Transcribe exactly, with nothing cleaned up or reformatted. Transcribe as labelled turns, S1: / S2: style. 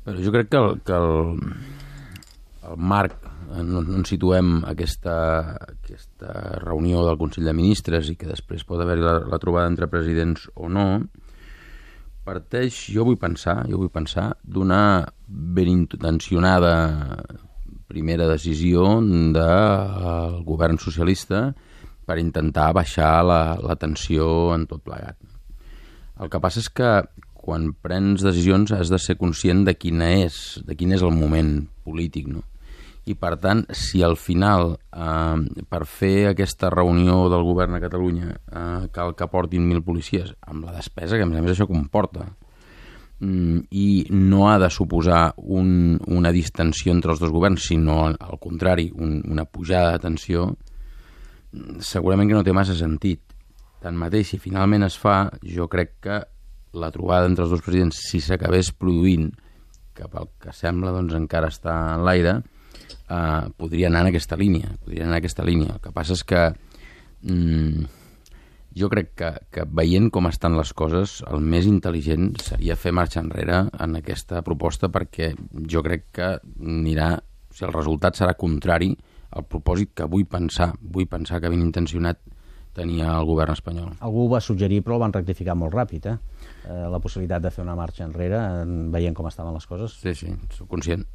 S1: Però jo crec que el, que el, el marc on, on situem aquesta, aquesta reunió del Consell de Ministres i que després pot haver-hi la, la trobada entre presidents o no, parteix, jo vull pensar, jo vull pensar d'una ben intencionada primera decisió del govern socialista per intentar baixar la, la tensió en tot plegat. El que passa és que quan prens decisions has de ser conscient de quina és, de quin és el moment polític, no? I per tant, si al final, eh, per fer aquesta reunió del govern a Catalunya, eh, cal que portin mil policies, amb la despesa que a més a més això comporta, mm, i no ha de suposar un, una distensió entre els dos governs, sinó al contrari, un, una pujada de tensió, segurament que no té massa sentit. Tanmateix, si finalment es fa, jo crec que la trobada entre els dos presidents, si s'acabés produint, que pel que sembla doncs, encara està en l'aire, eh, podria anar en aquesta línia. Podria anar en aquesta línia. El que passa és que mm, jo crec que, que veient com estan les coses, el més intel·ligent seria fer marxa enrere en aquesta proposta, perquè jo crec que anirà, o sigui, el resultat serà contrari al propòsit que vull pensar, vull pensar que ben intencionat tenia el govern espanyol.
S2: Algú ho va suggerir, però el van rectificar molt ràpid, eh? eh la possibilitat de fer una marxa enrere, veient com estaven les coses.
S1: Sí, sí, soc conscient.